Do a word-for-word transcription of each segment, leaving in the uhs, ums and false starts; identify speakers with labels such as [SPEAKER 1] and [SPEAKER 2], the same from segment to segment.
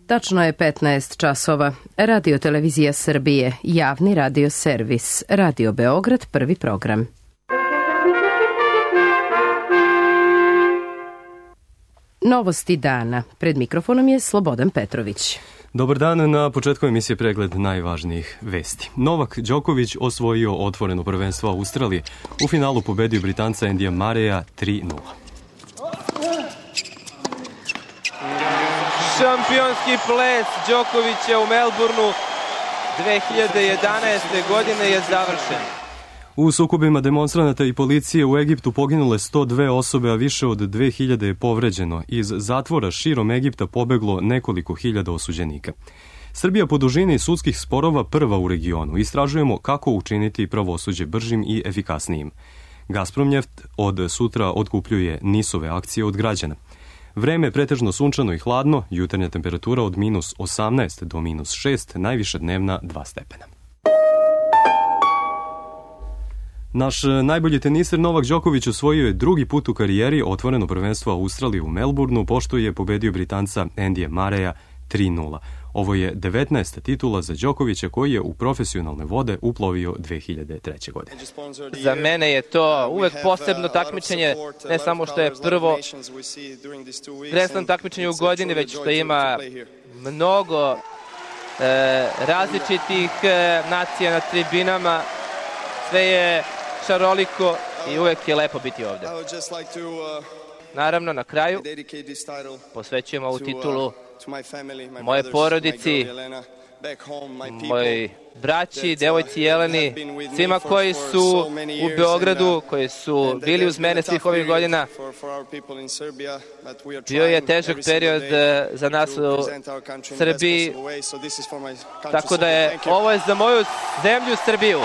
[SPEAKER 1] Tačno je petnaest časova. Radio Televizija Srbije, javni radio servis, Radio Beograd, prvi program. Novosti dana. Pred mikrofonom je Slobodan Petrović.
[SPEAKER 2] Dobar dan, na početku emisije pregled najvažnijih vesti. Novak Đoković osvojio otvoreno prvenstvo Australije. U finalu pobedio Britanca Andyja Murraya tri nula.
[SPEAKER 3] Šampionski ples Đokovića u Melbourneu dve hiljade jedanaeste. godine je završen.
[SPEAKER 2] U sukobima demonstranata i policije u Egiptu poginule sto dve osobe, a više od dve hiljade je povređeno. Iz zatvora širom Egipta pobeglo nekoliko hiljada osuđenika. Srbija po dužini sudskih sporova prva u regionu. Istražujemo kako učiniti pravosuđe bržim i efikasnijim. Gazpromnjeft od sutra otkupljuje nisove akcije od građana. Vreme je pretežno sunčano i hladno, jutarnja temperatura od minus osamnaest do minus šest, najviša dnevna dva stepena. Naš najbolji teniser Novak Đoković osvojio je drugi put u karijeri otvoreno prvenstvo Australije u Melbourneu, pošto je pobedio Britanca Andyja Murraya tri nula. Ovo je devetnaesta titula za Đokovića koji je u profesionalne vode uplovio dve hiljade treće. godine.
[SPEAKER 3] Za mene je to uvek posebno takmičenje, ne samo što je prvo presno takmičenje u godini, već što ima mnogo e, različitih e, nacija na tribinama. Sve je šaroliko i uvek je lepo biti ovde. Naravno, na kraju posvećujemo ovu titulu moje porodici, mojoj braći, devojci Jeleni, svima koji su u Beogradu, koji su bili uz mene svih ovih godina. Bio je težak period za nas u Srbiji, tako da je ovo je za moju zemlju Srbiju.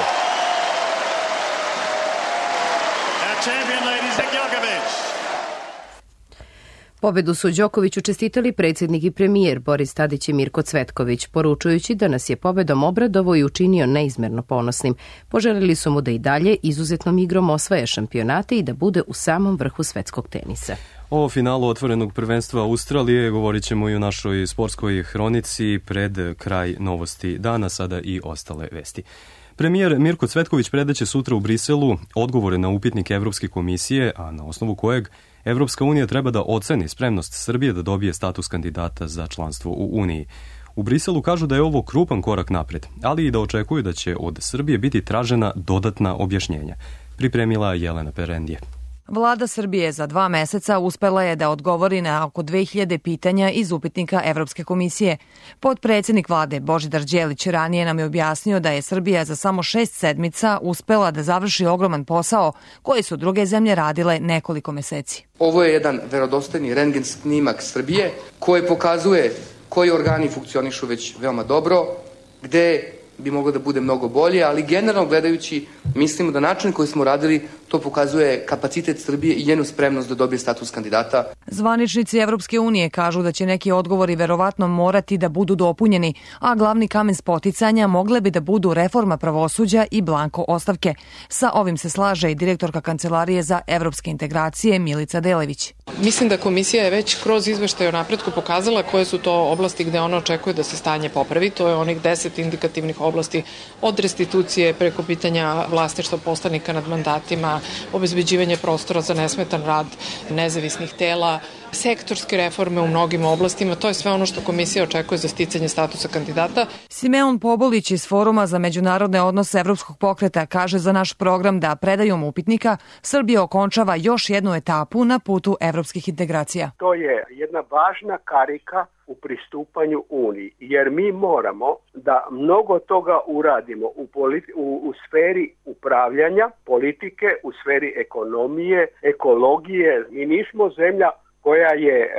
[SPEAKER 1] Pobedu su Đokoviću čestitali predsjednik i premijer Boris Tadić i Mirko Cvetković, poručujući da nas je pobedom obradovo i učinio neizmerno ponosnim. Poželili su mu da i dalje izuzetnom igrom osvaja šampionate i da bude u samom vrhu svetskog tenisa.
[SPEAKER 2] O finalu otvorenog prvenstva Australije govorit ćemo i u našoj sportskoj hronici pred kraj novosti dana, sada i ostale vesti. Premijer Mirko Cvetković predaće sutra u Briselu odgovore na upitnik Evropske komisije, a na osnovu kojeg Evropska unija treba da oceni spremnost Srbije da dobije status kandidata za članstvo u Uniji. U Briselu kažu da je ovo krupan korak napred, ali i da očekuju da će od Srbije biti tražena dodatna objašnjenja. Pripremila Jelena Perendije.
[SPEAKER 4] Vlada Srbije za dva meseca uspela je da odgovori na oko dve hiljade pitanja iz upitnika Evropske komisije. Potpredsednik vlade Božidar Đelić ranije nam je objasnio da je Srbija za samo šest sedmica uspela da završi ogroman posao koji su druge zemlje radile nekoliko meseci.
[SPEAKER 5] Ovo je jedan verodostojni rentgen snimak Srbije koji pokazuje koji organi funkcionišu već veoma dobro, gde bi moglo da bude mnogo bolje, ali generalno gledajući mislimo da način koji smo radili to pokazuje kapacitet Srbije i njenu spremnost da dobije status kandidata.
[SPEAKER 4] Zvaničnici Evropske unije kažu da će neki odgovori verovatno morati da budu dopunjeni, a glavni kamen spoticanja mogle bi da budu reforma pravosuđa i blanko ostavke. Sa ovim se slaže i direktorka Kancelarije za evropske integracije Milica Delević.
[SPEAKER 6] Mislim da komisija je već kroz izveštaj o napretku pokazala koje su to oblasti gde ona očekuje da se stanje popravi. To je onih deset indikativnih oblasti od restitucije preko pitanja vlasništva poslanika nad mandatima, obezbeđivanje prostora za nesmetan rad nezavisnih tela, sektorske reforme u mnogim oblastima. To je sve ono što komisija očekuje za sticanje statusa kandidata.
[SPEAKER 4] Simeon Pobolić iz Foruma za međunarodne odnose Evropskog pokreta kaže za naš program da predajom upitnika Srbija okončava još jednu etapu na putu evropskih integracija.
[SPEAKER 7] To je jedna važna karika u pristupanju Uniji, jer mi moramo da mnogo toga uradimo u, politi- u, u sferi upravljanja, politike, u sferi ekonomije, ekologije. Mi nismo zemlja koja je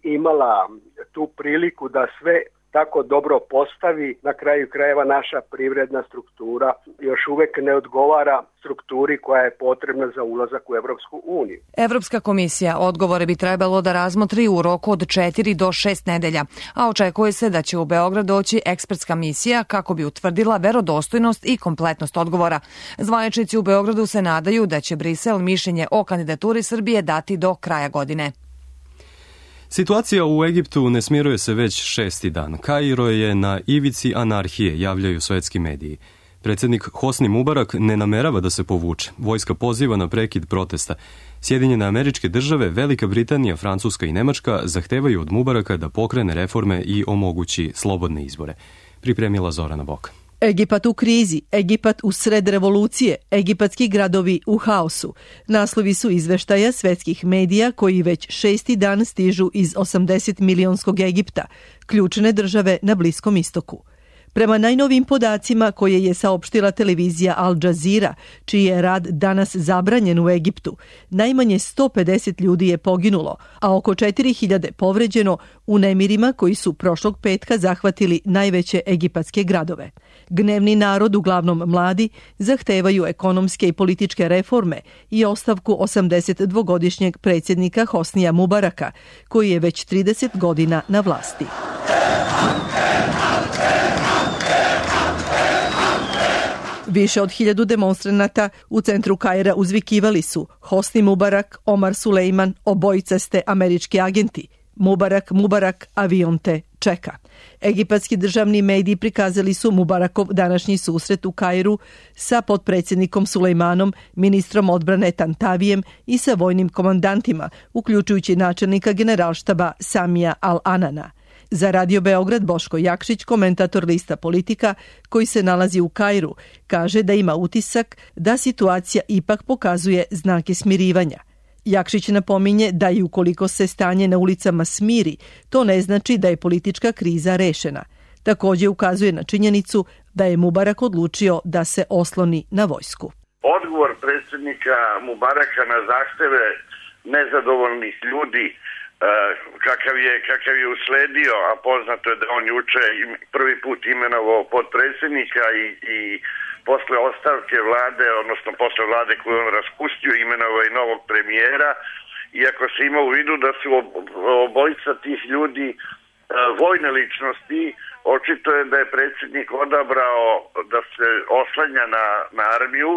[SPEAKER 7] imala tu priliku da sve tako dobro postavi. Na kraju krajeva naša privredna struktura još uvek ne odgovara strukturi koja je potrebna za ulazak u Evropsku uniju.
[SPEAKER 4] Evropska komisija odgovore bi trebalo da razmotri u roku od četiri do šest nedelja, a očekuje se da će u Beograd doći ekspertska misija kako bi utvrdila verodostojnost i kompletnost odgovora. Zvaničnici u Beogradu se nadaju da će Brisel mišljenje o kandidaturi Srbije dati do kraja godine.
[SPEAKER 2] Situacija u Egiptu ne smiruje se već šesti dan. Kairo je na ivici anarhije, javljaju svetski mediji. Predsjednik Hosni Mubarak ne namerava da se povuče. Vojska poziva na prekid protesta. Sjedinjene Američke Države, Velika Britanija, Francuska i Nemačka zahtevaju od Mubaraka da pokrene reforme i omogući slobodne izbore. Pripremila Zorana Bok.
[SPEAKER 8] Egipat u krizi, Egipat u sred revolucije, egipatski gradovi u haosu. Naslovi su izveštaja svetskih medija koji već šesti dan stižu iz osamdeset milionskog Egipta, ključne države na Bliskom istoku. Prema najnovim podacima koje je saopštila televizija Al Jazeera, čiji je rad danas zabranjen u Egiptu, najmanje sto pedeset ljudi je poginulo, a oko četiri hiljade povređeno u nemirima koji su prošlog petka zahvatili najveće egipatske gradove. Gnevni narod, uglavnom mladi, zahtevaju ekonomske i političke reforme i ostavku osamdesetdvogodišnjeg predsjednika Hosnija Mubaraka, koji je već trideset godina na vlasti. Više od hiljadu demonstranata u centru Kaira uzvikivali su Hosni Mubarak, Omar Sulejman, obojica ste američki agenti. Mubarak, Mubarak, avion te čeka. Egipatski državni mediji prikazali su Mubarakov današnji susret u Kairu sa potpredsjednikom Sulejmanom, ministrom odbrane Tantavijem i sa vojnim komandantima, uključujući načelnika generalštaba Samija Al-Anana. Za Radio Beograd Boško Jakšić, komentator lista Politika, koji se nalazi u Kairu, kaže da ima utisak da situacija ipak pokazuje znake smirivanja. Jakšić napominje da i ukoliko se stanje na ulicama smiri, to ne znači da je politička kriza rešena. Također ukazuje na činjenicu da je Mubarak odlučio da se osloni na vojsku.
[SPEAKER 9] Odgovor predsjednika Mubaraka na zahteve nezadovoljnih ljudi kakav je, kakav je usledio, a poznato je da on juče prvi put imenovao potpredsjednika i, i posle ostavke vlade, odnosno posle vlade koju on raspustio, imenovao i novog premijera, iako se ima u vidu da su obojica tih ljudi vojne ličnosti, očito je da je predsjednik odabrao da se oslanja na, na armiju,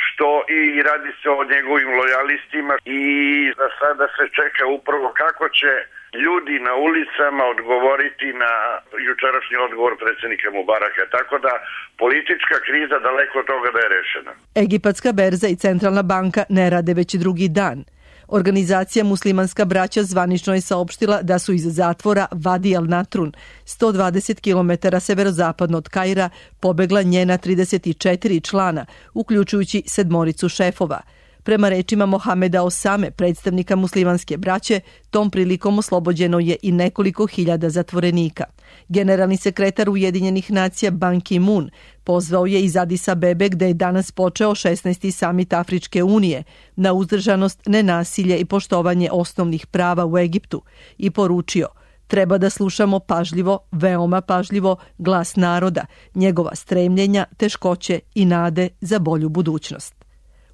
[SPEAKER 9] što i radi se o njegovim lojalistima i za sada se čeka upravo kako će ljudi na ulicama odgovoriti na jučerašnji odgovor predsjednika Mubaraka. Tako da politička kriza daleko od toga da je rešena.
[SPEAKER 8] Egipatska berza i centralna banka ne rade već drugi dan. Organizacija Muslimanska braća zvanično je saopštila da su iz zatvora Vadi al Natrun, sto dvadeset kilometara severozapadno od Kaira, pobegla njena trideset četiri člana, uključujući sedmoricu šefova. Prema rečima Mohameda Osame, predstavnika muslimanske braće, tom prilikom oslobođeno je i nekoliko hiljada zatvorenika. Generalni sekretar Ujedinjenih nacija Ban Ki-moon pozvao je iz Adis Abebe, gde je danas počeo šesnaesti samit Afričke unije, na uzdržanost, nenasilje i poštovanje osnovnih prava u Egiptu i poručio: treba da slušamo pažljivo, veoma pažljivo, glas naroda, njegova stremljenja, teškoće i nade za bolju budućnost.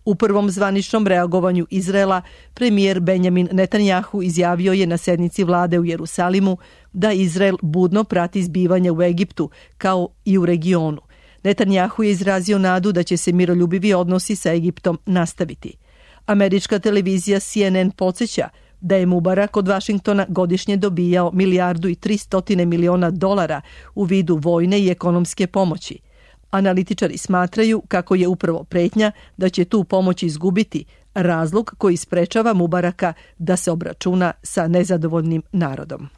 [SPEAKER 8] U prvom zvaničnom reagovanju Izraela, premijer Benjamin Netanjahu izjavio je na sednici vlade u Jerusalimu da Izrael budno prati zbivanja u Egiptu, kao i u regionu. Netanjahu je izrazio nadu da će se miroljubivi odnosi sa Egiptom nastaviti. Američka televizija C N N podsjeća da je Mubarak od Vašingtona godišnje dobijao milijardu i tristotine miliona dolara u vidu vojne i ekonomske pomoći. Analitičari smatraju kako je upravo pretnja da će tu pomoć izgubiti razlog koji sprečava Mubaraka da se obračuna sa nezadovoljnim narodom.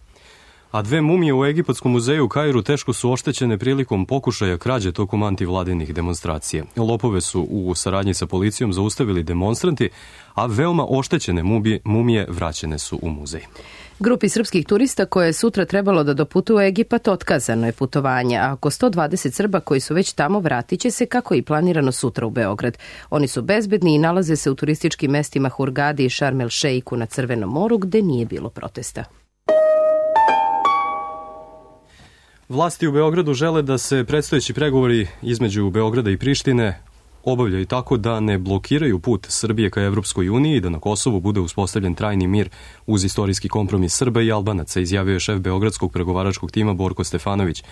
[SPEAKER 2] A dve mumije u Egipatskom muzeju u Kairu teško su oštećene prilikom pokušaja krađe tokom antivladinih demonstracija. Lopove su u saradnji sa policijom zaustavili demonstranti, a veoma oštećene mumije, mumije vraćene su u muzej.
[SPEAKER 1] Grupi srpskih turista koje je sutra trebalo da doputuju u Egipat otkazano je putovanje, a oko sto dvadeset Srba koji su već tamo vratit će se kako i planirano sutra u Beograd. Oni su bezbedni i nalaze se u turističkim mestima Hurgadi i Šarm el Šeiku na Crvenom moru, gde nije bilo protesta.
[SPEAKER 2] Vlasti u Beogradu žele da se predstojeći pregovori između Beograda i Prištine obavljaju tako da ne blokiraju put Srbije ka Evropskoj uniji i da na Kosovu bude uspostavljen trajni mir uz istorijski kompromis Srba i Albanaca, izjavio je šef beogradskog pregovaračkog tima Borko Stefanović.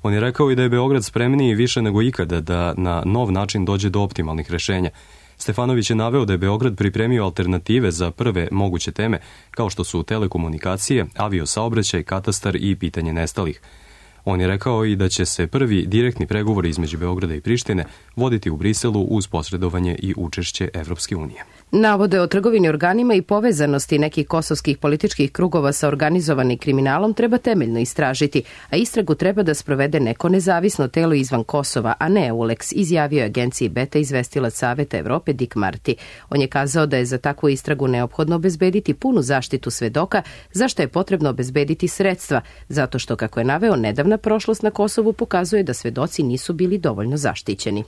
[SPEAKER 2] On je rekao i da je Beograd spremniji više nego ikada da na nov način dođe do optimalnih rešenja. Stefanović je naveo da je Beograd pripremio alternative za prve moguće teme, kao što su telekomunikacije, aviosaobraćaj, katastar i pitanje nestalih. On je rekao i da će se prvi direktni pregovori između Beograda i Prištine voditi u Briselu uz posredovanje i učešće Evropske unije.
[SPEAKER 1] Navode o trgovini organima i povezanosti nekih kosovskih političkih krugova sa organizovanim kriminalom treba temeljno istražiti, a istragu treba da sprovede neko nezavisno telo izvan Kosova, a ne EULEX, izjavio je agenciji Beta izvestilac Saveta Evrope Dick Marty. On je kazao da je za takvu istragu neophodno obezbediti punu zaštitu svedoka, za što je potrebno obezbediti sredstva, zato što, kako je naveo, nedavna prošlost na Kosovu pokazuje da svedoci nisu bili dovoljno zaštićeni.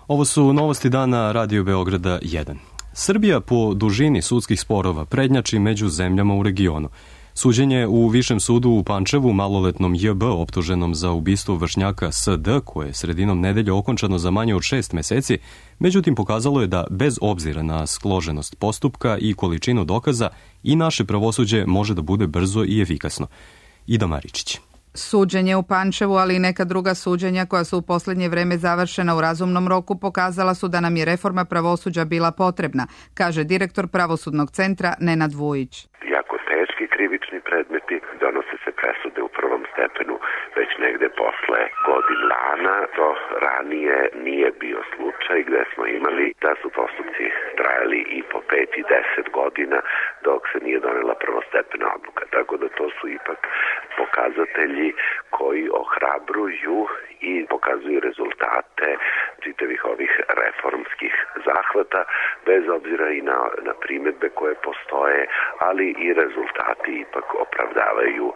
[SPEAKER 2] Ovo su novosti dana Radio Beograda jedan. Srbija po dužini sudskih sporova prednjači među zemljama u regionu. Suđenje u Višem sudu u Pančevu maloletnom J B optuženom za ubistvo vršnjaka S D, koje je sredinom nedelje okončano za manje od šest meseci, međutim pokazalo je da bez obzira na složenost postupka i količinu dokaza i naše pravosuđe može da bude brzo i efikasno. Ida Maričić.
[SPEAKER 10] Suđenje u Pančevu, ali i neka druga suđenja koja su u posljednje vreme završena u razumnom roku pokazala su da nam je reforma pravosuđa bila potrebna, kaže direktor Pravosudnog centra Nenad Vujić.
[SPEAKER 11] Jako teški krivični predmeti donose se presude u prvom stepenu već negde posle godin dana. To ranije nije bio slučaj gde smo imali da su postupci trajali i po pet i deset godina dok se nije donela prvostepena odluka. Tako da to su ipak pokazatelji koji ohrabruju i pokazuju rezultate čitavih ovih reformskih zahvata, bez obzira i na, na primedbe koje postoje, ali i rezultati ipak opravdavaju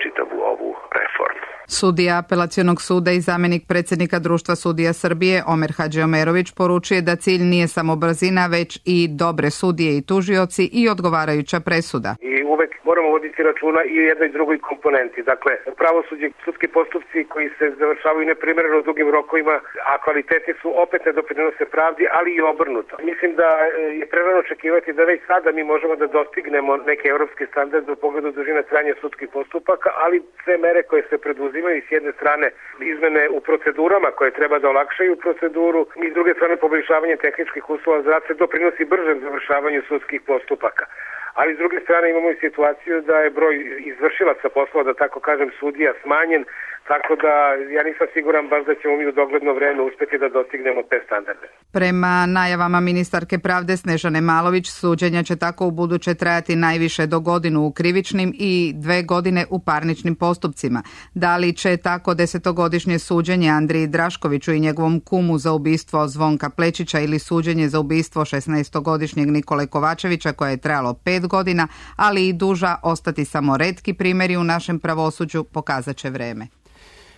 [SPEAKER 11] čitavu ovu reformu.
[SPEAKER 10] Sudija Apelacionog suda i zamjenik predsjednika Društva sudija Srbije Omer Hadžiomerović poručuje da cilj nije samo brzina, već i dobre sudije i tužioci i odgovarajuća presuda.
[SPEAKER 12] I uvek moramo voditi računa i u jednoj i drugoj komponenti. Dakle, pravosuđe, sudski postupci koji se završavaju neprimereno dugim rokovima, a kvaliteti su opet ne doprinose pravdi, ali i obrnuto. Mislim da je prerano očekivati da već sada mi možemo da dostignemo neke evropske standarde u pogledu dužine trajanja sudskih postupaka, ali sve mere koje se preduzimaju s jedne strane izmene u procedurama koje treba da olakšaju proceduru i s druge strane poboljšavanje tehničkih uslova za rad se doprinosi bržem završavanju sudskih postupaka. Ali s druge strane imamo i situaciju da je broj izvršilaca poslova, da tako kažem, sudija smanjen, tako da ja nisam siguran baš da ćemo mi u dogledno vreme uspeti da dostignemo te standarde.
[SPEAKER 10] Prema najavama ministarke pravde Snežane Malović, suđenja će tako u buduće trajati najviše do godinu u krivičnim i dve godine u parničnim postupcima. Da li će tako desetogodišnje suđenje Andriji Draškoviću i njegovom kumu za ubistvo Zvonka Plečića ili suđenje za ubistvo šesnaestogodišnjeg Nikole Kovačevića koje je trajalo pet godina, ali i duža, ostati samo retki primjeri u našem pravosuđu, pokazat će vreme.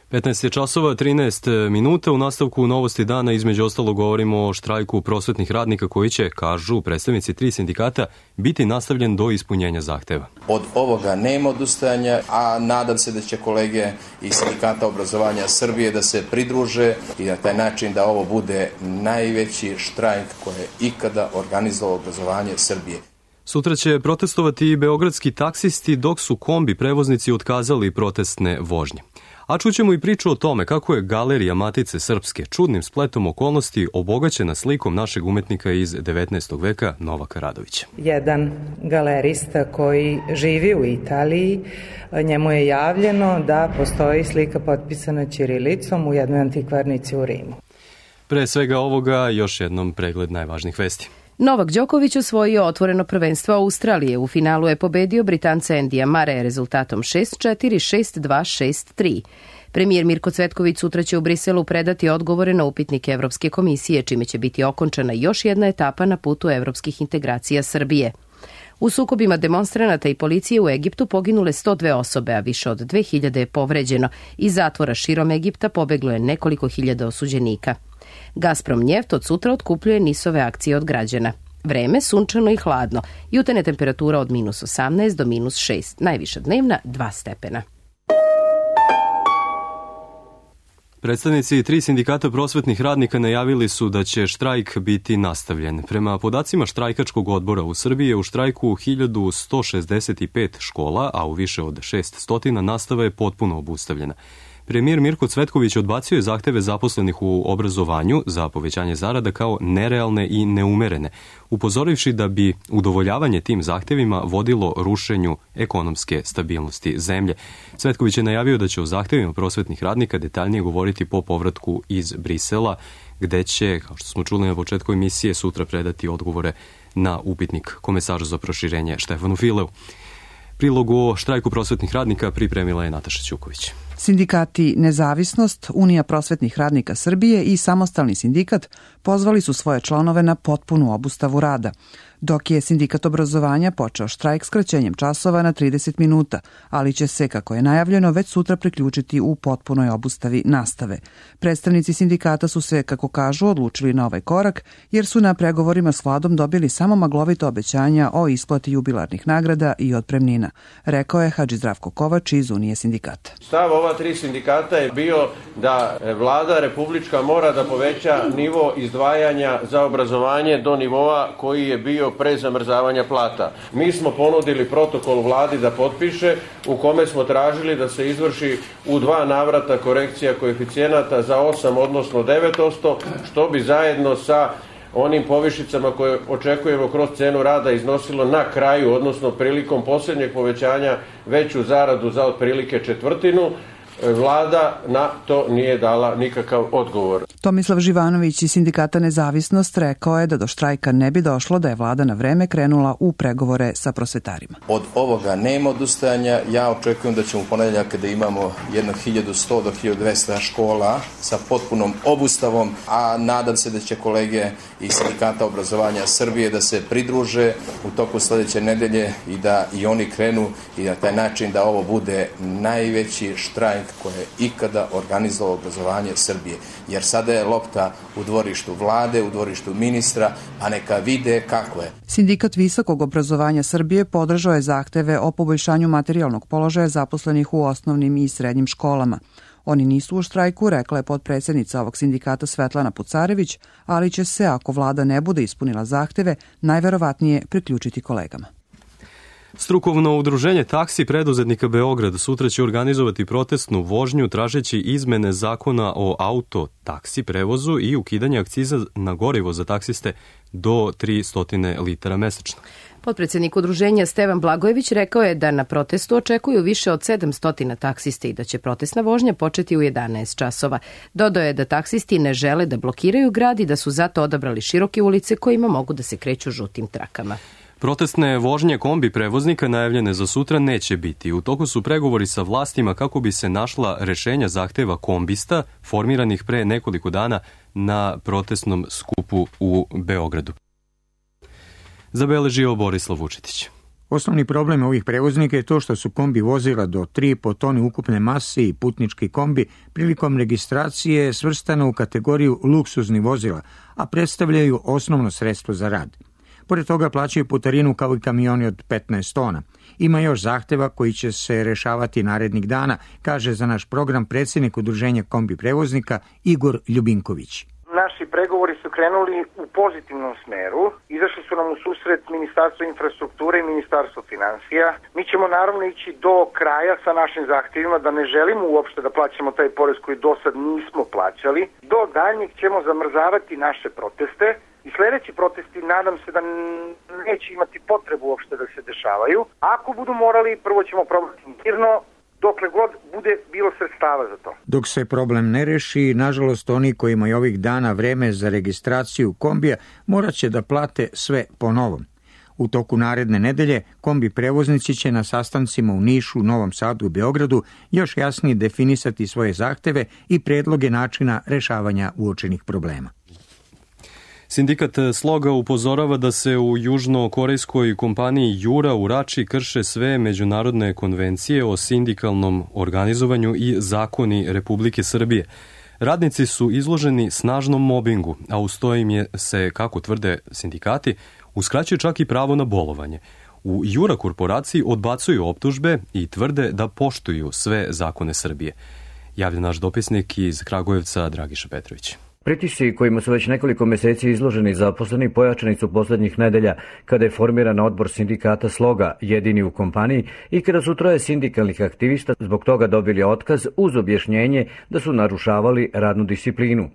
[SPEAKER 2] petnaest je časova, trinaest minuta. U nastavku novosti dana između ostalo govorimo o štrajku prosvetnih radnika koji će, kažu predstavnici tri sindikata, biti nastavljen do ispunjenja zahteva.
[SPEAKER 13] Od ovoga nema odustajanja, a nadam se da će kolege iz Sindikata obrazovanja Srbije da se pridruže i na taj način da ovo bude najveći štrajk koji je ikada organizovao obrazovanje Srbije.
[SPEAKER 2] Sutra će protestovati i beogradski taksisti dok su kombi prevoznici otkazali protestne vožnje. A čućemo i priču o tome kako je Galerija Matice Srpske čudnim spletom okolnosti obogaćena slikom našeg umetnika iz devetnaestog veka Novaka Radovića.
[SPEAKER 14] Jedan galerista koji živi u Italiji, njemu je javljeno da postoji slika potpisana ćirilicom u jednoj antikvarnici u Rimu.
[SPEAKER 2] Pre svega ovoga još jednom pregled najvažnijih vesti.
[SPEAKER 1] Novak Đoković osvojio otvoreno prvenstvo Australije. U finalu je pobedio Britanca Endija Mare rezultatom šest četiri, šest dva, šest tri. Premijer Mirko Cvetković sutra će u Briselu predati odgovore na upitnike Evropske komisije, čime će biti okončana još jedna etapa na putu evropskih integracija Srbije. U sukobima demonstranata i policije u Egiptu poginule sto dve osobe, a više od dve hiljade je povređeno. Iz zatvora širom Egipta pobeglo je nekoliko hiljada osuđenika. Gazprom Njeft od sutra otkupljuje nisove akcije od građana. Vreme sunčano i hladno. Jutarnja temperatura od minus osamnaest do minus šest. Najviša dnevna dva stepena.
[SPEAKER 2] Predstavnici tri sindikata prosvetnih radnika najavili su da će štrajk biti nastavljen. Prema podacima štrajkačkog odbora u Srbiji je u štrajku hiljadu sto šezdeset pet škola, a u više od šest stotina nastava je potpuno obustavljena. Premijer Mirko Cvetković odbacio je zahteve zaposlenih u obrazovanju za povećanje zarada kao nerealne i neumerene, upozorivši da bi udovoljavanje tim zahtevima vodilo rušenju ekonomske stabilnosti zemlje. Cvetković je najavio da će o zahtevima prosvetnih radnika detaljnije govoriti po povratku iz Brisela, gde će, kao što smo čuli na početku emisije, sutra predati odgovore na upitnik komesaru za proširenje Štefanu Fileu. Prilog o štrajku prosvetnih radnika pripremila je Nataša Ćuković.
[SPEAKER 15] Sindikati Nezavisnost, Unija prosvetnih radnika Srbije i Samostalni sindikat pozvali su svoje članove na potpunu obustavu rada, dok je Sindikat obrazovanja počeo štrajk skraćenjem časova na trideset minuta, ali će se, kako je najavljeno, već sutra priključiti u potpunoj obustavi nastave. Predstavnici sindikata su se, kako kažu, odlučili na ovaj korak, jer su na pregovorima s vladom dobili samo maglovita obećanja o isplati jubilarnih nagrada i otpremnina, rekao je Hadži Zdravko Kovač iz Unije sindikata.
[SPEAKER 16] Stav ova tri sindikata je bio da vlada republička mora da poveća nivo izdvajanja za obrazovanje do nivoa koji je bio pre zamrzavanja plata. Mi smo ponudili protokol vladi da potpiše, u kome smo tražili da se izvrši u dva navrata korekcija koeficijenata za osam odnosno devet posto, što bi zajedno sa onim povišicama koje očekujemo kroz cenu rada iznosilo na kraju, odnosno prilikom posljednjeg povećanja, veću zaradu za otprilike četvrtinu. Vlada na to nije dala nikakav odgovor.
[SPEAKER 15] Tomislav Živanović iz Sindikata Nezavisnost rekao je da do štrajka ne bi došlo da je vlada na vreme krenula u pregovore sa prosvetarima.
[SPEAKER 13] Od ovoga nema odustajanja. Ja očekujem da ćemo u ponedeljak, kada imamo jedno hiljadu sto do hiljadu dvesta škola sa potpunom obustavom, a nadam se da će kolege iz Sindikata obrazovanja Srbije da se pridruže u toku sledeće nedelje i da i oni krenu i na taj način da ovo bude najveći štrajk koje je ikada organizovalo obrazovanje Srbije. Jer sada je lopta u dvorištu vlade, u dvorištu ministra, a neka vide kako je.
[SPEAKER 15] Sindikat visokog obrazovanja Srbije podržao je zahteve o poboljšanju materijalnog položaja zaposlenih u osnovnim i srednjim školama. Oni nisu u štrajku, rekla je potpredsednica ovog sindikata Svetlana Pucarević, ali će se, ako vlada ne bude ispunila zahteve, najverovatnije priključiti kolegama.
[SPEAKER 2] Strukovno udruženje taksi preduzetnika Beograd sutra će organizovati protestnu vožnju tražeći izmene zakona o auto taksi prevozu i ukidanje akciza na gorivo za taksiste do tristo litara mesečno.
[SPEAKER 1] Potpredsednik udruženja Stevan Blagojević rekao je da na protestu očekuju više od sedamsto taksiste i da će protestna vožnja početi u jedanaest časova. Dodao je da taksisti ne žele da blokiraju grad i da su zato odabrali široke ulice kojima mogu da se kreću žutim trakama.
[SPEAKER 2] Protestne vožnje kombi prevoznika najavljene za sutra neće biti. U toku su pregovori sa vlastima kako bi se našla rešenja zahteva kombista formiranih pre nekoliko dana na protestnom skupu u Beogradu. Zabeležio Borislav Vučetić.
[SPEAKER 17] Osnovni problem ovih prevoznika je to što su kombi vozila do tri i po tone ukupne mase i putnički kombi prilikom registracije svrstana u kategoriju luksuznih vozila, a predstavljaju osnovno sredstvo za rad. Pored toga plaćaju putarinu kao i kamioni od petnaest tona. Ima još zahteva koji će se rešavati narednih dana, kaže za naš program predsjednik udruženja kombi prevoznika Igor Ljubinković.
[SPEAKER 18] Naši pregovori su krenuli u pozitivnom smeru, izašli su nam u susret Ministarstvo infrastrukture i Ministarstvo financija. Mi ćemo naravno ići do kraja sa našim zahtjevima, da ne želimo uopšte da plaćamo taj porez koji do sad nismo plaćali. Do daljnjeg ćemo zamrzavati naše proteste i sledeći protesti nadam se da neće imati potrebu uopšte da se dešavaju. Ako budu morali, prvo ćemo probati mirno, dokle god bude bilo sredstava za to.
[SPEAKER 17] Dok se problem ne reši, nažalost oni koji imaju ovih dana vreme za registraciju kombija morat će da plate sve po novom. U toku naredne nedelje kombi prevoznici će na sastancima u Nišu, Novom Sadu i Beogradu još jasnije definisati svoje zahteve i predloge načina rešavanja uočenih problema.
[SPEAKER 2] Sindikat Sloga upozorava da se u južnokorejskoj kompaniji Jura u Rači krše sve međunarodne konvencije o sindikalnom organizovanju i zakoni Republike Srbije. Radnici su izloženi snažnom mobingu, a uz to im je se, kako tvrde sindikati, uskraćuje čak i pravo na bolovanje. U Jura korporaciji odbacuju optužbe i tvrde da poštuju sve zakone Srbije. Javlja naš dopisnik iz Kragujevca Dragiša Petrović.
[SPEAKER 19] Pritisci kojima su već nekoliko meseci izloženi zaposleni pojačani su poslednjih nedelja kada je formiran odbor sindikata Sloga, jedini u kompaniji, i kada su troje sindikalnih aktivista zbog toga dobili otkaz uz objašnjenje da su narušavali radnu disciplinu.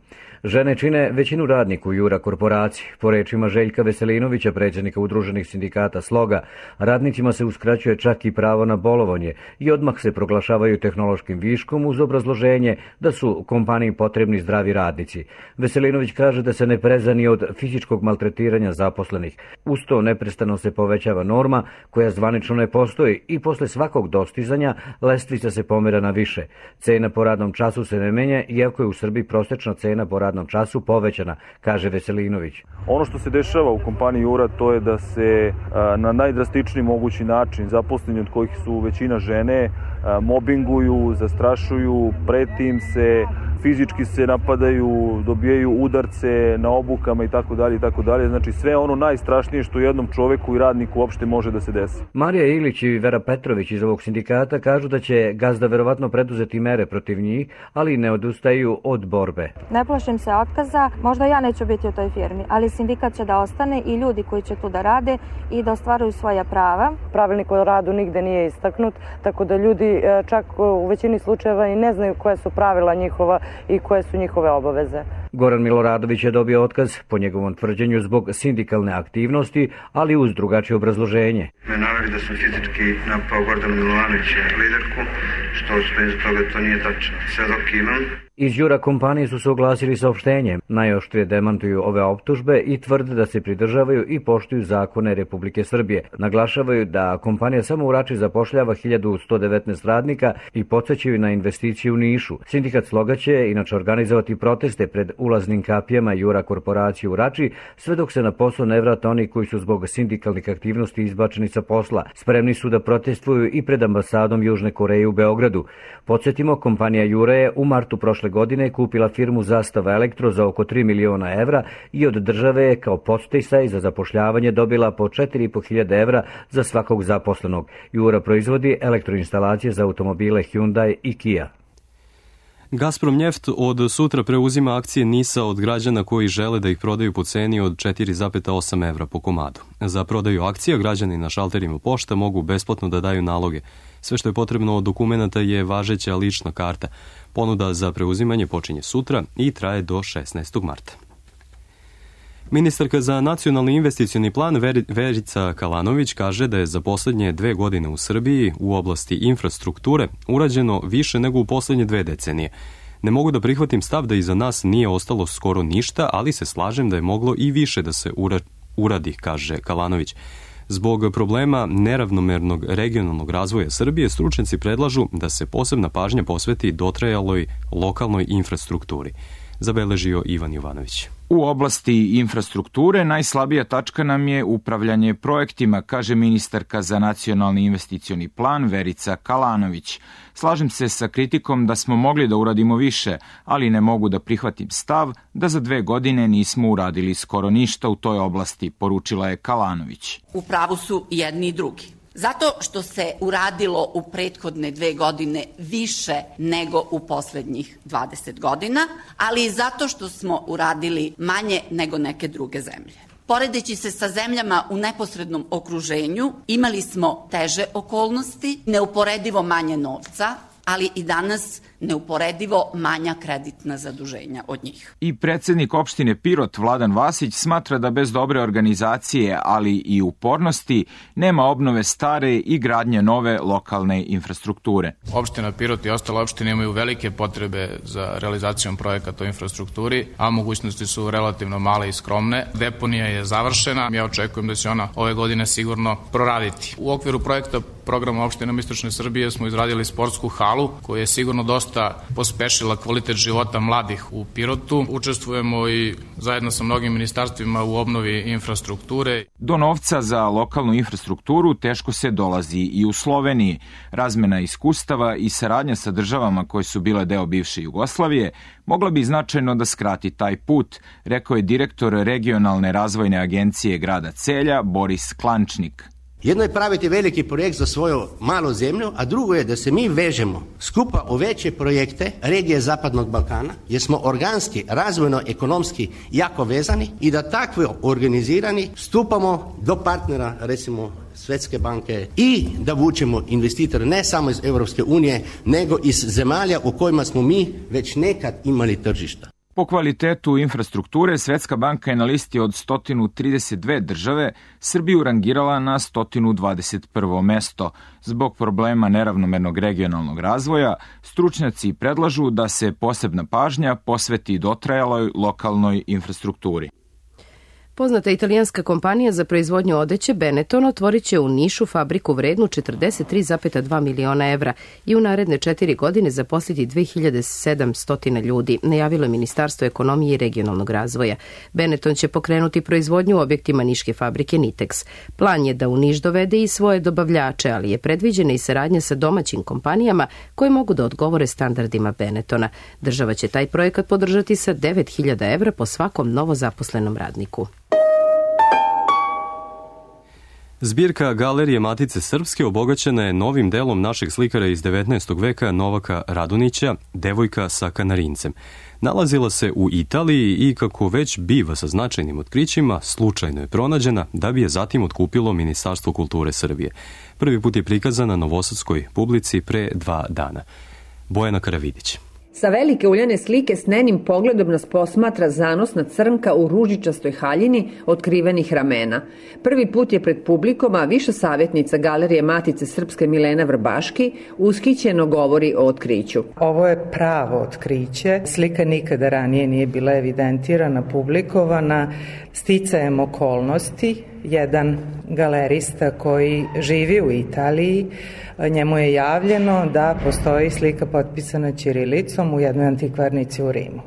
[SPEAKER 19] Žene čine većinu radnika u Jura korporaciji. Po rečima Željka Veselinovića, predsjednika Udruženih sindikata Sloga, radnicima se uskraćuje čak i pravo na bolovanje i odmah se proglašavaju tehnološkim viškom uz obrazloženje da su kompaniji potrebni zdravi radnici. Veselinović kaže da se ne preza ni od fizičkog maltretiranja zaposlenih. Uz to neprestano se povećava norma koja zvanično ne postoji i posle svakog dostizanja lestvica se pomera na više. Cena po radnom času se ne menja, iako je u Srbiji prosečna cena po radnom času povećana, kaže Veselinović.
[SPEAKER 20] Ono što se dešava u kompaniji Jura to je da se a, na najdrastičniji mogući način zaposleni, od kojih su većina žene, a, mobinguju, zastrašuju, preti im se, fizički se napadaju, dobijaju udarce na obukama i tako dalje i tako dalje. Znači sve ono najstrašnije što jednom čoveku i radniku uopšte može da se desi.
[SPEAKER 19] Marija Ilić i Vera Petrović iz ovog sindikata kažu da će gazda verovatno preduzeti mere protiv njih, ali ne odustaju od borbe.
[SPEAKER 21] Ne plašim se otkaza, možda ja neću biti u toj firmi, ali sindikat će da ostane i ljudi koji će tu da rade i da ostvaruju svoja prava.
[SPEAKER 22] Pravilnik o radu nigde nije istaknut, tako da ljudi čak u većini slučajeva i ne znaju koje su pravila njihova i koje su njihove obaveze.
[SPEAKER 19] Goran Miloradović je dobio otkaz po njegovom tvrđenju zbog sindikalne aktivnosti, ali uz drugačije obrazloženje.
[SPEAKER 23] Me naveli da sam fizički napao Gordanu Milovanovića, liderku, što bez toga to nije tačno. Sve dok imam.
[SPEAKER 19] Iz Jura kompanije su se oglasili saopštenjem. Najoštrije demantuju ove optužbe i tvrde da se pridržavaju i poštuju zakone Republike Srbije. Naglašavaju da kompanija samo u Rači zapošljava hiljadu sto devetnaest radnika i podsjećaju na investicije u Nišu. Sindikat Sloga će inače organizovati proteste pred ulaznim kapijama Jura korporacije u Rači, sve dok se na posao ne vrate oni koji su zbog sindikalnih aktivnosti izbačeni sa posla. Spremni su da protestuju i pred ambasadom Južne Koreje u Beogradu. Podsjetimo, kompanija Jura je u martu prošle godine kupila firmu Zastava Elektro za oko tri miliona evra i od države je kao podsticaj za zapošljavanje dobila po četiri i po hiljade evra za svakog zaposlenog. Jura proizvodi elektroinstalacije za automobile Hyundai i Kia.
[SPEAKER 2] Gazprom Njeft od sutra preuzima akcije NIS-a od građana koji žele da ih prodaju po ceni od četiri zarez osam evra po komadu. Za prodaju akcija građani na šalterima pošta mogu besplatno da daju naloge. Sve što je potrebno od dokumenta je važeća lična karta. Ponuda za preuzimanje počinje sutra i traje do šesnaestog marta. Ministarka za nacionalni investicioni plan Verica Kalanović kaže da je za poslednje dve godine u Srbiji u oblasti infrastrukture urađeno više nego u poslednje dve decenije. Ne mogu da prihvatim stav da iza nas nije ostalo skoro ništa, ali se slažem da je moglo i više da se uradi, kaže Kalanović. Zbog problema neravnomernog regionalnog razvoja Srbije, stručnjaci predlažu da se posebna pažnja posveti dotrajaloj lokalnoj infrastrukturi. Zabeležio Ivan Jovanović.
[SPEAKER 24] U oblasti infrastrukture najslabija tačka nam je upravljanje projektima, kaže ministarka za nacionalni investicioni plan Verica Kalanović. Slažem se sa kritikom da smo mogli da uradimo više, ali ne mogu da prihvatim stav da za dve godine nismo uradili skoro ništa u toj oblasti, poručila je Kalanović.
[SPEAKER 25] U pravu su jedni i drugi. Zato što se uradilo u prethodne dve godine više nego u poslednjih dvadeset godina, ali i zato što smo uradili manje nego neke druge zemlje. Poredeći se sa zemljama u neposrednom okruženju, imali smo teže okolnosti, neuporedivo manje novca, ali i danas neuporedivo manja kreditna zaduženja od njih.
[SPEAKER 24] I predsednik opštine Pirot Vladan Vasić smatra da bez dobre organizacije, ali i upornosti, nema obnove stare i gradnje nove lokalne infrastrukture.
[SPEAKER 26] Opština Pirot i ostale opštine imaju velike potrebe za realizacijom projekata o infrastrukturi, a mogućnosti su relativno male i skromne. Deponija je završena, ja očekujem da će ona ove godine sigurno proraditi. U okviru projekta programa opštinama Istočne Srbije smo izradili sportsku halu koja je sigurno dosta pospešila kvalitet života mladih u Pirotu. Učestvujemo i zajedno sa mnogim ministarstvima u obnovi infrastrukture.
[SPEAKER 24] Do novca za lokalnu infrastrukturu teško se dolazi i u Sloveniji. Razmena iskustava i saradnja sa državama koje su bile deo bivše Jugoslavije mogla bi značajno da skrati taj put, rekao je direktor regionalne razvojne agencije grada Celja Boris Klančnik.
[SPEAKER 3] Jedno je praviti veliki projekt za svoju malu zemlju, a drugo je da se mi vežemo skupa u veće projekte regije Zapadnog Balkana, jer smo organski, razvojno, ekonomski jako vezani i da takvo organizirani stupamo do partnera, recimo Svetske banke, i da vučemo investitore ne samo iz Europske unije, nego iz zemalja u kojima smo mi već nekad imali tržišta.
[SPEAKER 24] Po kvalitetu infrastrukture, Svetska banka je na listi od sto trideset dve države Srbiju rangirala na sto dvadeset prvo mesto. Zbog problema neravnomernog regionalnog razvoja, stručnjaci predlažu da se posebna pažnja posveti dotrajaloj lokalnoj infrastrukturi.
[SPEAKER 1] Poznata italijanska kompanija za proizvodnju odeće Benetton otvorit će u Nišu fabriku vrednu četrdeset tri zarez dva miliona evra i u naredne četiri godine zaposliti dve hiljade sedamsto ljudi, najavilo je Ministarstvo ekonomije i regionalnog razvoja. Benetton će pokrenuti proizvodnju u objektima niške fabrike Nitex. Plan je da u Niš dovede i svoje dobavljače, ali je predviđena i saradnja sa domaćim kompanijama koje mogu da odgovore standardima Benettona. Država će taj projekat podržati sa devet hiljada evra po svakom novozaposlenom radniku.
[SPEAKER 2] Zbirka Galerije Matice Srpske obogaćena je novim delom našeg slikara iz devetnaestog veka Novaka Radunića, Devojka sa kanarincem. Nalazila se u Italiji i, kako već biva sa značajnim otkrićima, slučajno je pronađena da bi je zatim otkupilo Ministarstvo kulture Srbije. Prvi put je prikazana novosadskoj publici pre dva dana. Bojana Karavidić.
[SPEAKER 4] Sa velike uljane slike s nenim pogledom nas posmatra zanosna crnka u ružičastoj haljini otkrivenih ramena. Prvi put je pred publikom, a viša savjetnica Galerije Matice Srpske Milena Vrbaški ushićeno govori o otkriću.
[SPEAKER 14] Ovo je pravo otkriće. Slika nikada ranije nije bila evidentirana, publikovana. Sticajem okolnosti, jedan galerista koji živi u Italiji, njemu je javljeno da postoji slika potpisana ćirilicom u jednoj antikvarnici u Rimu.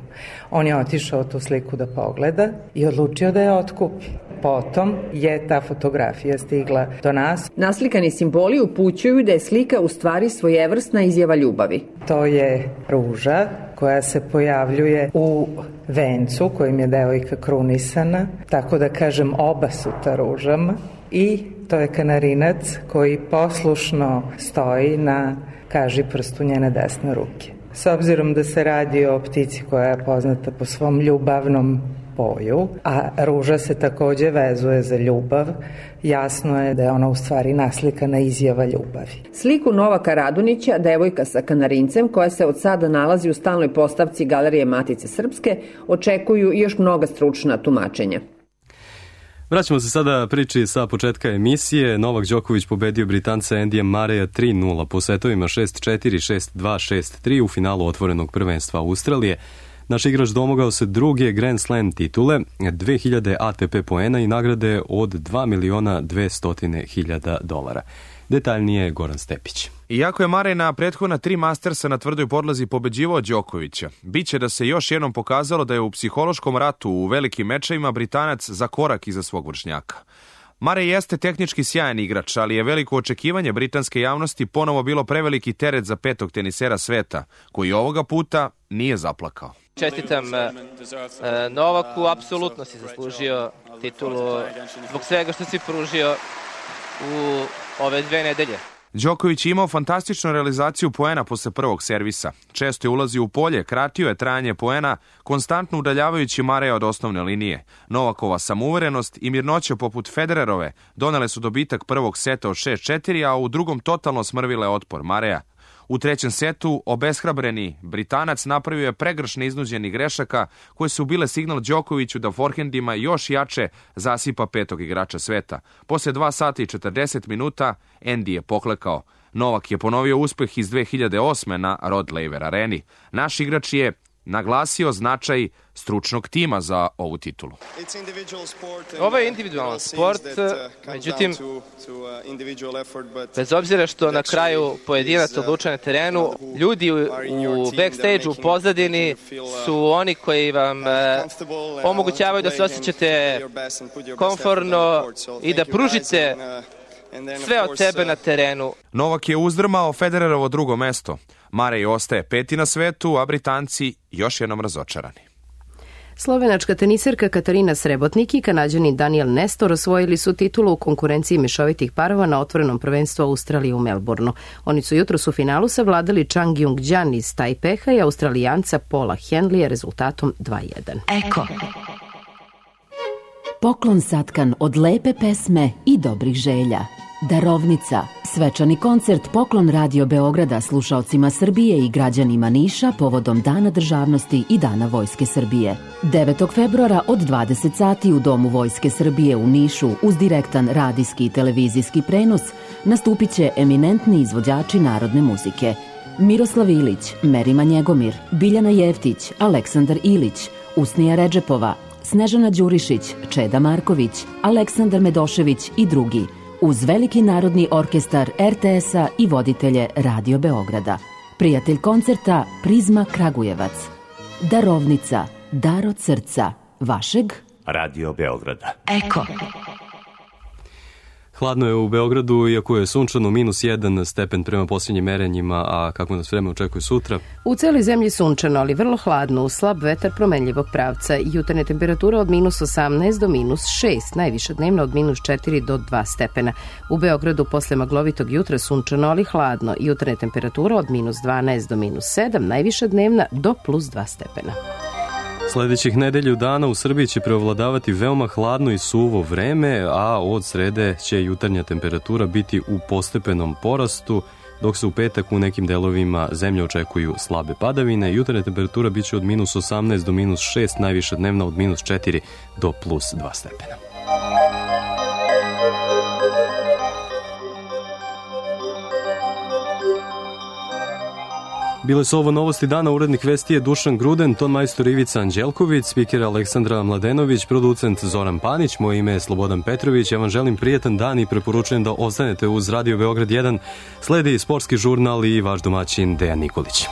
[SPEAKER 14] On je otišao tu sliku da pogleda i odlučio da je otkupi. Potom je ta fotografija stigla do nas.
[SPEAKER 4] Naslikani simboli upućuju da je slika u stvari svojevrsna izjava ljubavi.
[SPEAKER 14] To je ruža koja se pojavljuje u vencu kojim je devojka krunisana, tako da kažem obasuta ružama, i to je kanarinac koji poslušno stoji na kažiprstu njene desne ruke. S obzirom da se radi o ptici koja je poznata po svom ljubavnom boju, a ruža se takođe vezuje za ljubav, jasno je da je ona u stvari naslikana izjava ljubavi.
[SPEAKER 4] Sliku Novaka Radunića, Devojka sa kanarincem, koja se od sada nalazi u stalnoj postavci Galerije Matice Srpske, očekuju još mnoga stručna tumačenja.
[SPEAKER 2] Vraćamo se sada priči sa početka emisije. Novak Đoković pobedio Britanca Andyja Murraya tri nula po setovima šest četiri, šest dva, šest tri u finalu otvorenog prvenstva Australije. Naš igrač domogao se druge Grand Slam titule, dve hiljade A T P poena i nagrade od dva miliona dvesta hiljada dolara. Detaljnije Goran Stepić.
[SPEAKER 5] Iako je Murray na prethodna tri Mastersa na tvrdoj podlozi pobeđivao Đokovića, biće da se još jednom pokazalo da je u psihološkom ratu u velikim mečevima Britanac za korak iza svog vršnjaka. Murray jeste tehnički sjajan igrač, ali je veliko očekivanje britanske javnosti ponovo bilo preveliki teret za petog tenisera sveta, koji ovoga puta nije zaplakao.
[SPEAKER 6] Čestitam Novaku, apsolutno si zaslužio titulu zbog svega što si pružio u ove dve nedelje.
[SPEAKER 5] Đoković je imao fantastičnu realizaciju poena posle prvog servisa. Često je ulazio u polje, kratio je trajanje poena, konstantno udaljavajući Murraya od osnovne linije. Novakova samouverenost i mirnoća poput Federerove donele su dobitak prvog seta od šest četiri, a u drugom totalno smrvile otpor Murraya. U trećem setu obeshrabreni Britanac napravio je pregršne iznuđenih grešaka koje su bile signal Đokoviću da forhendima još jače zasipa petog igrača sveta. Posle dva sata i četrdeset minuta Andy je poklekao. Novak je ponovio uspeh iz dve hiljade osme na Rod Laver areni. Naš igrač je naglasio značaj stručnog tima za ovu titulu.
[SPEAKER 6] Ovo je individualan sport, međutim, bez obzira što na kraju pojedinac odlučuje na terenu, ljudi u backstage-u, u pozadini su oni koji vam omogućavaju da se osjećate komfortno i da pružite sve od sebe na terenu.
[SPEAKER 5] Novak je uzdrmao Federerovo drugo mesto. Murray ostaje peti na svetu, a Britanci još jednom razočarani.
[SPEAKER 1] Slovenačka teniserka Katarina Srebotnik i Kanađanin Daniel Nestor osvojili su titulu u konkurenciji mešovitih parova na otvorenom prvenstvu Australije u Melbourneu. Oni su jutros u finalu savladali Chang Jung-jan iz Tajpeha i Australijanca Paula Henleya rezultatom dva jedan.
[SPEAKER 7] Eko. Poklon satkan od lepe pesme i dobrih želja. Darovnica, svečani koncert Poklon Radio Beograda slušaocima Srbije i građanima Niša povodom Dana državnosti i Dana Vojske Srbije. devetog februara od dvadeset sati u Domu Vojske Srbije u Nišu uz direktan radijski i televizijski prenos nastupit će eminentni izvođači narodne muzike. Miroslav Ilić, Merima Njegomir, Biljana Jeftić, Aleksandar Ilić, Usnija Redžepova, Snežana Đurišić, Čeda Marković, Aleksandar Medošević i drugi, uz veliki narodni orkestar er te es-a i voditelje Radio Beograda. Prijatelj koncerta Prizma Kragujevac. Darovnica, dar od srca, vašeg
[SPEAKER 8] Radio Beograda.
[SPEAKER 7] Eko.
[SPEAKER 2] Hladno je u Beogradu, iako je sunčano, minus jedan stepen prema posljednjim merenjima, a kako nas vreme očekuje sutra?
[SPEAKER 1] U celoj zemlji sunčano, ali vrlo hladno, uz slab vetar promenljivog pravca. Jutarnje temperatura od minus osamnaest do minus šest, najviša dnevna od minus četiri do dva stepena. U Beogradu posle maglovitog jutra sunčano, ali hladno. Jutarnje temperatura od minus dvanaest do minus sedam, najviša dnevna do plus dva stepena.
[SPEAKER 2] Sledećih nedelju dana u Srbiji će preovladavati veoma hladno i suvo vreme, a od srede će jutarnja temperatura biti u postepenom porastu, dok se u petak u nekim delovima zemlje očekuju slabe padavine. Jutarnja temperatura biće od minus osamnaest do minus šest, najviša dnevna od minus četiri do plus dva stepena. Bile su ovo novosti dana, urednik vesti je Dušan Gruden, ton majstor Ivica Anđelković, spiker Aleksandra Mladenović, producent Zoran Panić, moje ime je Slobodan Petrović, ja vam želim prijetan dan i preporučujem da ostanete uz Radio Beograd jedan, sledi sportski žurnal i vaš domaćin Dejan Nikolić.